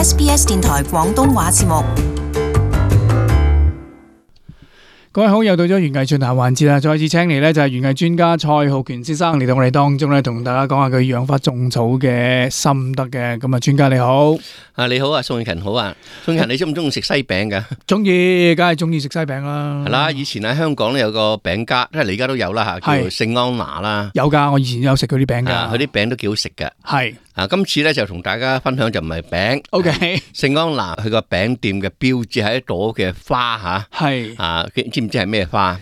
SBS 電台廣東話節目。各位好，又到咗園藝進行環節啦，再次請嚟呢就係園藝專家蔡浩權先生嚟到我哋當中呢，同大家講下佢養花種草嘅心得嘅。咁啊，專家你好。你好啊，宋永勤好啊。宋永勤，你中唔中意食西餅噶？中意，梗係中意食西餅啦。係啦，以前喺香港咧有個餅家，即係你而家都有啦吓，叫做聖安娜啦。有噶，我以前有食佢啲餅噶。佢啲餅都幾好食嘅。係。今次咧就同大家分享就唔係餅。OK。聖安娜佢個餅店嘅標誌係一朵嘅花吓。係。知唔知係咩花？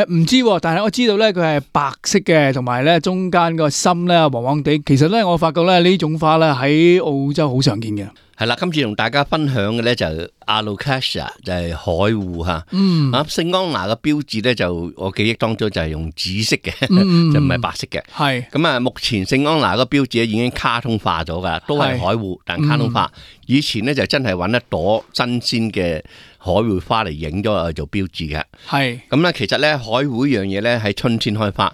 唔知，但係我知道咧佢係白色嘅，同埋咧中間個心咧黃黃地。其實咧我發覺咧呢種花咧喺澳洲好常見嘅。係啦，今次同大家分享嘅咧就 Alocasia 就係海芋吓。聖安娜嘅標誌咧就我記憶當中就係用紫色嘅，就唔係白色嘅。係咁啊，目前聖安娜個標誌咧已經卡通化咗噶，都係海芋，但卡通化。以前咧就真係揾一朵新鮮嘅海芋花嚟影咗嚟做標誌嘅。係咁咧，其實咧海芋呢樣嘢咧喺春天開花。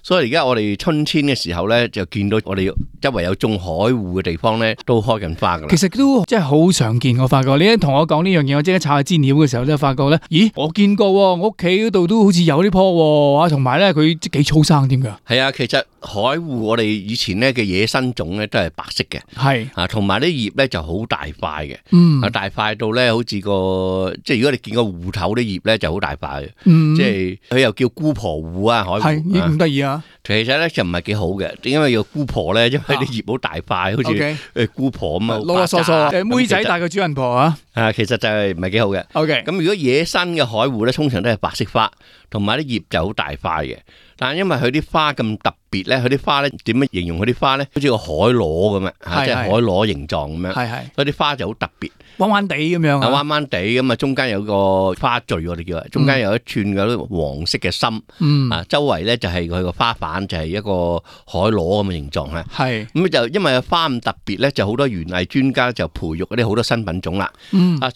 所以而家我哋春天嘅時候咧，就見到我哋周圍有種海芋嘅地方咧，都開緊花噶啦。其實都真係好常見，我發覺你一同我講呢樣嘢，我即刻查下資料嘅時候咧，發覺咧，咦，我見過喎，我屋企嗰度都好似有呢棵喎，同埋咧佢幾粗生添㗎。係啊，其實海芋我哋以前咧嘅野生種咧都係白色嘅，係啊，同埋啲葉咧就好大塊嘅，大塊到咧好似個即係如果你見個芋頭啲葉咧就好大塊嘅，即係佢又叫姑婆芋啊，海芋係咁得意啊！其實咧就唔係幾好嘅，點解叫姑婆咧？因為啲葉好大塊，好似姑婆咁啊，囉囉嗦嗦，妹仔大過主人婆啊！其實就係唔係幾好嘅。OK，咁如果野生嘅海芋咧，通常都係白色花，同埋啲葉就好大塊嘅。但係因為佢啲花咁特別咧，佢啲花咧點樣形容佢啲花咧？好似個海螺咁樣，即係海螺形狀咁樣。係，所以啲花就好特別，彎彎地咁樣。彎彎地咁啊，中間有個花序，我哋叫，中間有一串嗰啲黃色嘅心。周圍咧就係佢個花瓣，就係一個海螺咁嘅形狀咧。係咁就因為花咁特別咧，就好多園藝專家就培育嗰啲好多新品種啦。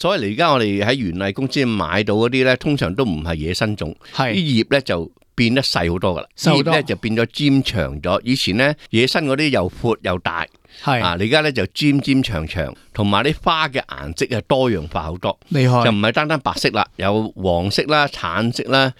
所以而家我哋喺園藝公司買到嗰啲咧，通常都唔係野生種，啲葉咧就變得細好多噶啦，葉咧就變咗尖長咗。以前咧野生嗰啲又闊又大，係你而家咧就尖尖長長，同埋啲花嘅顏色係多樣化好多，厲害就唔係單單白色啦，有黃色啦、橙色啦、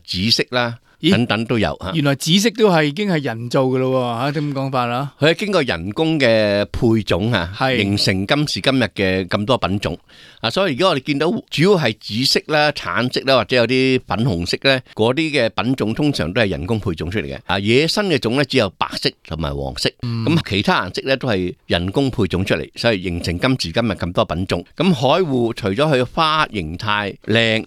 紫色啦。等等都有吓，原來紫色都係已經係人造嘅咯吓，點咁講法啦？佢係經過人工嘅配種吓，形成今時今日嘅咁多品種啊！所以而家我哋見到主要係紫色啦、橙色啦，或者有啲粉紅色咧，嗰啲嘅品種通常都係人工配種出嚟嘅。啊，野生嘅種咧只有白色同埋黃色，咁其他顏色咧都係人工配種出嚟，所以形成今時今日咁多品種。咁海芋除咗佢嘅花形態靚，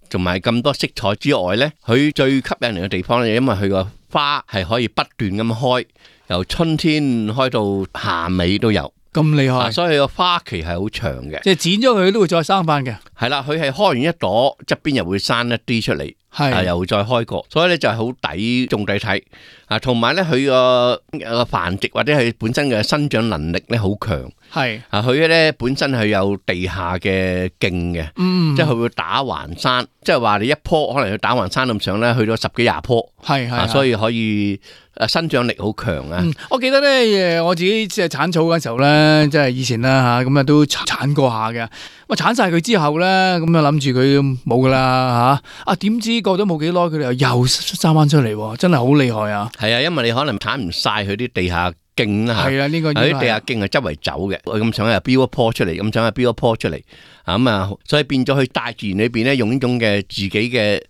同埋咁多色彩之外咧，佢最吸引人嘅地方咧，因為佢個花係可以不斷咁開，由春天開到夏尾都有。咁厲害，所以個花期係好長嘅。即係剪咗佢都會再生翻嘅。係啦，佢係開完一朵，側邊又會生一啲出嚟，又再開過，所以咧就係好抵種抵睇。同埋咧佢個繁殖或者係本身嘅生長能力咧好強。係佢咧本身係有地下嘅莖嘅，即係佢會打橫生，即係話你一棵可能佢打橫生咁上咧，去到10幾20棵，所以可以生長力好強啊！我記得咧，我自己即係鏟草嗰時候咧，即係以前啦吓，咁啊都鏟過下嘅。咁鏟晒佢之後咧，咁啊諗住佢冇噶啦吓，點知過咗冇幾耐，佢哋又生翻出嚟，真係好厲害啊！係啊，因為你可能鏟唔晒佢啲地下莖啦，係啊，呢個喺地下莖係周圍走嘅，咁想又標一棵出嚟，咁想又標一棵出嚟，咁啊，所以變咗去大自然裏邊咧，用呢種嘅自己嘅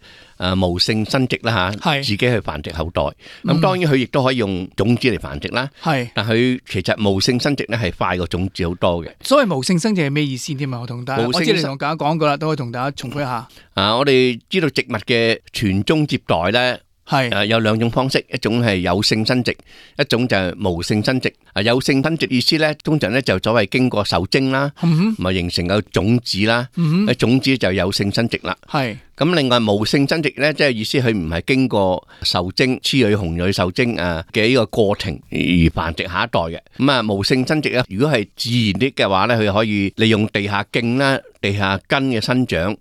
無性生殖啦吓，自己去繁殖後代。咁當然佢亦都可以用種子嚟繁殖啦，係，但佢其實無性生殖咧係快過種子好多嘅。所謂無性生殖係咩意思添啊？我同大家，我知你同大家講過啦，都可以同大家重複一下。我哋知道植物嘅傳宗接代咧。係有兩種方式，一種係有性生殖，一種就係無性生殖。有性生殖意思咧，通常咧就所謂經過受精啦，咪形成個種子啦，種子就有性生殖啦。係。咁另外無性生殖咧，即係意思佢唔係經過受精、雌蕊、雄蕊受精嘅呢個過程而繁殖下一代嘅。咁啊無性生殖咧，如果係自然啲嘅話咧，佢可以利用地下莖啦、地下根嘅生長，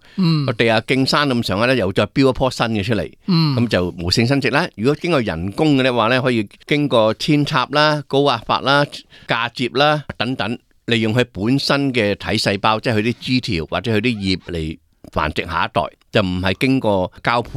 個地下莖生咁上下咧，又再標一棵新嘅出嚟，咁就無性生殖啦。如果經過人工嘅咧話咧，可以經過扦插啦、高壓法啦、嫁接啦等等。利用佢本身嘅體細胞，即係佢啲枝條或者佢啲葉嚟繁殖下一代，就唔係經過交配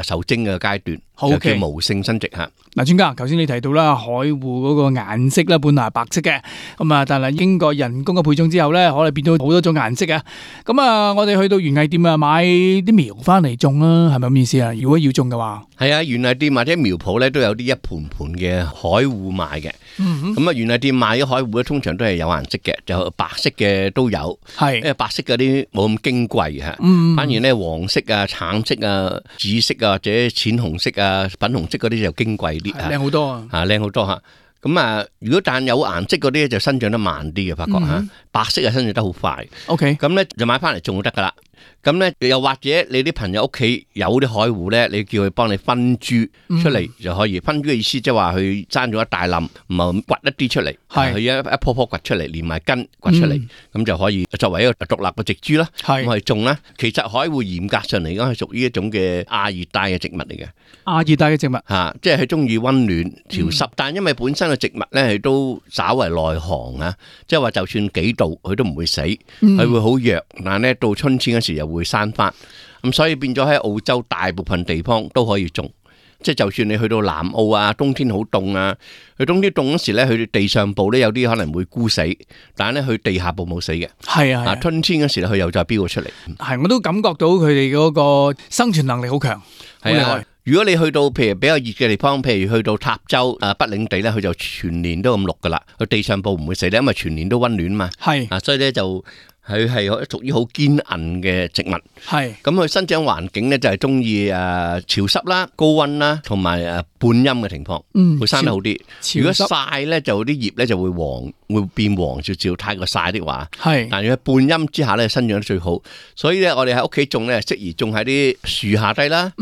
受精嘅階段，就叫無性生殖吓。嗱，專家，頭先你提到啦，海芋嗰個顏色咧本來係白色嘅，咁啊，但係經過人工嘅配種之後咧，可能變到好多種顏色啊。咁啊，我哋去到園藝店啊，買啲苗翻嚟種啦，係咪咁意思啊？如果要種嘅話，係啊，園藝店或者苗圃咧都有啲一盤盤嘅海芋賣嘅。咁啊，園藝店賣嘅海芋咧，通常都係有顏色嘅，就白色嘅都有。係，因為白色嗰啲冇咁矜貴吓，反而咧黃色啊、橙色啊、紫色啊或者淺紅色啊、粉紅色嗰啲就矜貴啲，靚好多啊！靚好多吓。咁啊，如果但有顏色嗰啲就生長得慢啲嘅，發覺吓，白色啊生長得好快。OK， 咁咧就買翻嚟種就得噶啦。咁咧又或者你啲朋友屋企有啲海芋咧，你叫佢幫你分株出嚟就可以。分株嘅意思即係話佢生咗一大冧，唔係掘一啲出嚟，係佢一棵棵掘出嚟，連埋根掘出嚟，咁就可以作為一個獨立嘅植株啦。咁去種啦。其實海芋嚴格上嚟講係屬於一種嘅亞熱帶嘅植物嚟嘅。亞熱帶嘅植物吓，即係佢中意溫暖潮濕，但因為本身嘅植物咧係都稍為內寒啊，即係話就算幾度佢都唔會死，佢會好弱，但係咧到春天嗰時又會生翻，咁所以變咗喺澳洲大部分地方都可以種，即係就算你去到南澳啊，冬天好凍啊，佢冬天凍嗰時咧，佢地上部咧有啲可能會枯死，但係咧佢地下部冇死嘅。係啊，春天嗰時咧佢又再飆咗出嚟。係，我都感覺到佢哋嗰個生存能力好強。係啊，如果你去到譬如比較熱嘅地方，譬如去到塔州北領地咧，佢就全年都咁綠噶啦，佢地上部唔會死咧，因為全年都溫暖嘛。係啊，所以咧就。佢係屬於好堅韌嘅植物，係咁佢生長環境咧就係中意潮濕啦、高溫啦，同埋半陰嘅情況，會生得好啲。如果曬咧，就啲葉咧就會黃，會變黃少少。太過曬的話，係但係半陰之下咧，生長得最好。所以咧，我哋喺屋企種咧，適宜種喺啲樹下低啦。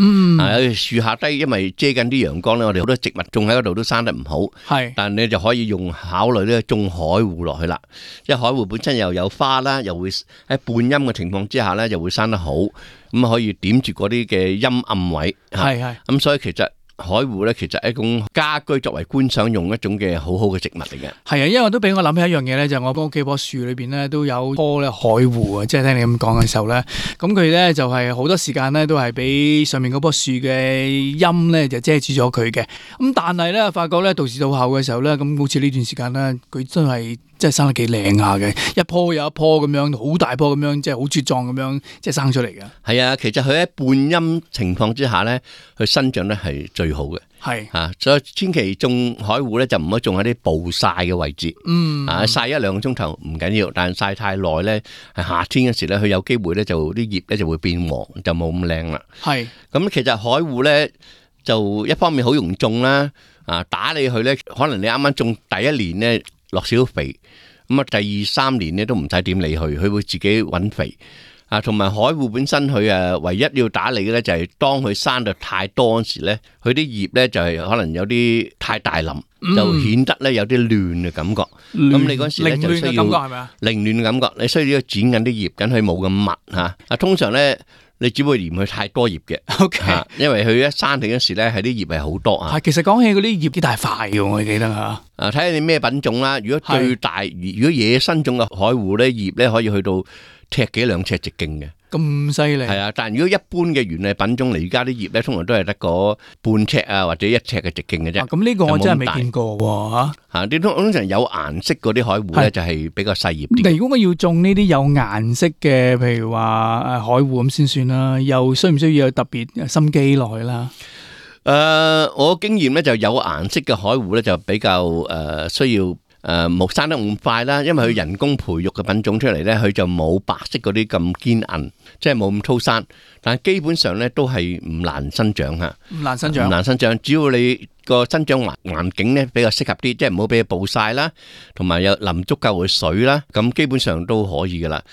樹下低，因為遮緊啲陽光咧，我哋好多植物種喺嗰度都生得唔好。係，但係你就可以用考慮咧種海芋落去啦，因為海芋本身又有花啦。又會喺半陰嘅情況之下咧，就會生得好，咁可以點住嗰啲嘅陰暗位。係咁所以其實海芋咧，其實係一種家居作為觀賞用一種嘅好好嘅植物嚟嘅。係啊，因為都俾我諗起一樣嘢咧，就係我屋企棵樹裏邊咧都有棵咧海芋啊，即係聽你咁講嘅時候咧，咁佢咧就係好多時間咧都係俾上面嗰棵樹嘅陰咧就遮住咗佢嘅。咁但係咧發覺咧到時到後嘅時候咧，咁好似呢段時間咧，佢真係生得幾靚下嘅，一棵又一棵咁樣，好大棵咁樣，即係好茁壯咁樣，即係生出嚟嘅。係啊，其實佢喺半陰情況之下咧，佢生長咧係最好嘅。係啊，所以千祈種海芋咧就唔好種喺啲暴曬嘅位置。曬1-2個鐘頭唔緊要，但係曬太耐咧，係夏天嗰時咧，佢有機會咧就啲葉咧就會變黃，就冇咁靚啦。係咁，其實海芋咧就一方面好容易種啦，打理佢咧，可能你啱啱種第一年咧落少肥。咁啊，第2、3年咧都唔使點理佢，佢會自己搵肥啊。同埋海芋本身佢唯一要打理嘅咧就係當佢生得太多嗰時咧，佢啲葉咧就係可能有啲太大林，就顯得咧有啲亂嘅感覺。咁你嗰時咧就需要凌亂嘅感覺，你需要剪緊啲葉，緊佢冇咁密吓。通常咧你只會嫌佢太多葉嘅。OK， 因為佢一生起嗰時咧係啲葉係好多啊。其實講起嗰啲葉幾大塊嘅，我記得吓。睇下你咩品種啦。如果最大，如果野生種嘅海芋咧，葉咧可以去到尺幾2尺直徑嘅。咁犀利。係啊，但係如果一般嘅園藝品種嚟，而家啲葉咧通常都係得個半尺啊或者1尺嘅直徑嘅啫。咁呢個我真係未見過喎吓。啲通常有顏色嗰啲海芋咧就係比較細葉啲。如果我要種呢啲有顏色嘅，譬如話海芋咁先算啦，又需唔需要有特別心機落去啦？我經驗咧就有顏色嘅海芋咧就比較需要冇生得咁快啦，因為佢人工培育嘅品種出嚟咧，佢就冇白色嗰啲咁堅韌，即係冇咁粗生，但係基本上咧都係唔難生長吓，唔難生長，唔難生長，只要你個生長環境咧比較適合啲，即係唔好俾佢暴曬啦，同埋有淋足夠嘅水啦，咁基本上都可以噶啦。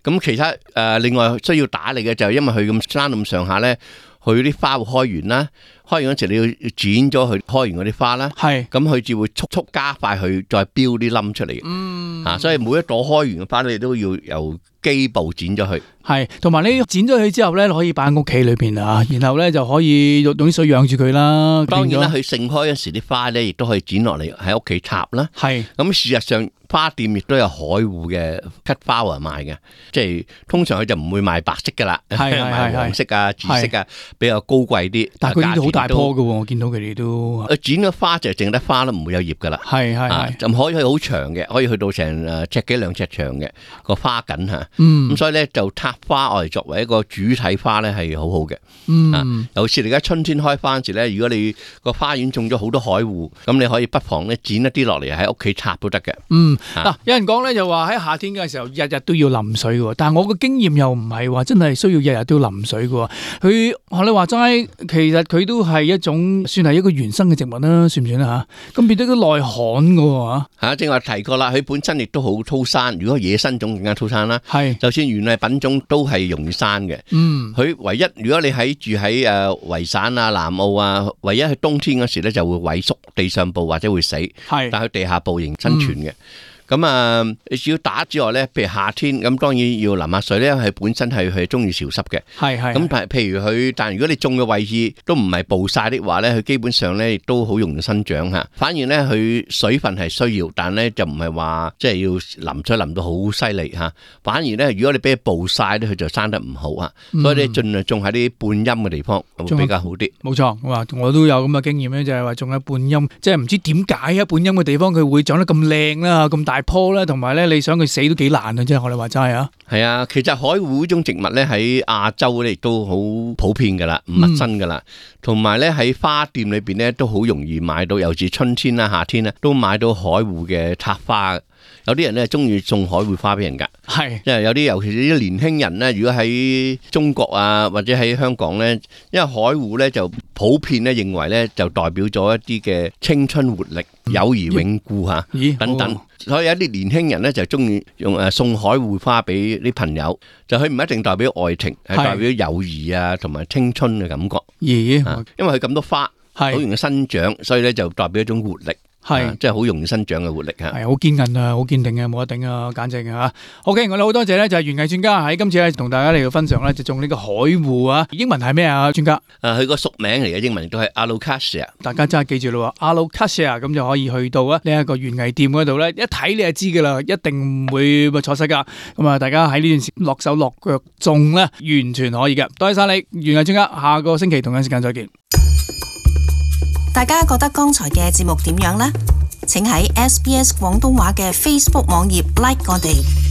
咁其他另外需要打理嘅就係因為佢咁生咁上下咧，佢啲花會開完啦，開完嗰時你要剪咗佢開完嗰啲花啦，咁佢至會速速加快佢再標啲冧出嚟嘅。所以每一朵開完嘅花你都要由基部剪咗佢。係，同埋你剪咗佢之後咧，可以擺喺屋企裏邊啊，然後咧就可以用啲水養住佢啦。當然啦，佢盛開嗰時啲花咧，亦都可以剪落嚟喺屋企插啦。咁事實上花店亦都有海芋嘅 cut flower 賣嘅，即係通常佢就唔會賣白色噶啦，賣黃色啊、紫色啊，比較高貴啲。但係佢啲好大棵噶，我見到佢哋都。剪咗花就淨得花啦，唔會有葉噶啦。就可以去好長嘅，可以去到成尺幾兩尺長嘅個花梗吓。咁所以咧就插花我哋作為一個主體花咧係好好嘅。尤其是而家春天開花時咧，如果你個花園種咗好多海芋，咁你可以不妨咧剪一啲落嚟喺屋企插都得嘅。有人講咧就話喺夏天嘅時候日日都要淋水嘅，但係我個經驗又唔係話真係需要日日都要淋水嘅。佢學你話齋，其實佢都係一種算係一個原生嘅植物啦，算唔算啊？吓，咁變得都耐旱嘅吓。正話提過啦，佢本身亦都好粗生，如果野生種更加粗生啦。就算原嚟品種都係容易生嘅。佢唯一如果你住喺維省啊、南澳啊，唯一喺冬天嗰時咧就會萎縮，地上部或者會死。但係佢地下部仍生存嘅。咁你只要打之外咧，譬如夏天咁，當然要淋下水咧，係本身係中意潮濕嘅。咁譬如佢，但如果你種嘅位置都唔係暴曬的話咧，佢基本上咧亦都好容易生長嚇。反而咧佢水分係需要，但咧就唔係話即係要淋水淋到好犀利嚇。反而咧，如果你俾佢暴曬咧，佢就生得唔好嚇。所以你盡量種喺啲半陰嘅地方會比較好啲。冇錯，我都有咁嘅經驗咧，就係話種喺半陰，即係唔知點解喺半陰嘅地方佢會長得咁靚啦，咁大棵咧，同埋咧，你想佢死都幾難啊！即係我哋話齋啊。係啊，其實海芋呢種植物咧喺亞洲咧亦都好普遍噶啦，唔陌生噶啦。同埋咧喺花店裏邊咧都好容易買到，尤其是春天啦、夏天咧都買到海芋嘅插花。有啲人咧中意送海芋花俾人噶，即係有啲尤其是啲年輕人咧，如果喺中國啊或者喺香港咧，因為海芋咧就普遍咧認為咧就代表咗一啲嘅青春活力、友誼永固吓等等，所以有啲年輕人咧就中意用送海芋花俾啲朋友，就佢唔一定代表愛情，係代表友誼啊同埋青春嘅感覺。因為佢咁多花，好容易生長，所以咧就代表一種活力。即係好容易生長嘅活力嚇，係好堅韌啊，好堅定啊，冇得頂啊，簡直嚇。OK，我哋好多謝咧，就係園藝專家喺今次咧同大家嚟到分享咧，就種呢個海芋啊。英文係咩啊，專家？佢個屬名嚟嘅，英文亦都係 Alocasia。大家真係記住咯，Alocasia 咁就可以去到啊呢一個園藝店嗰度咧，一睇你就知噶啦，一定唔會錯失噶。咁啊，大家喺呢段時間落手落腳種咧，完全可以嘅。多謝晒你，園藝專家。下個星期同樣時間再見。大家覺得剛才嘅節目點樣呢？請喺SBS 廣東話嘅 Facebook 網頁 like 我哋。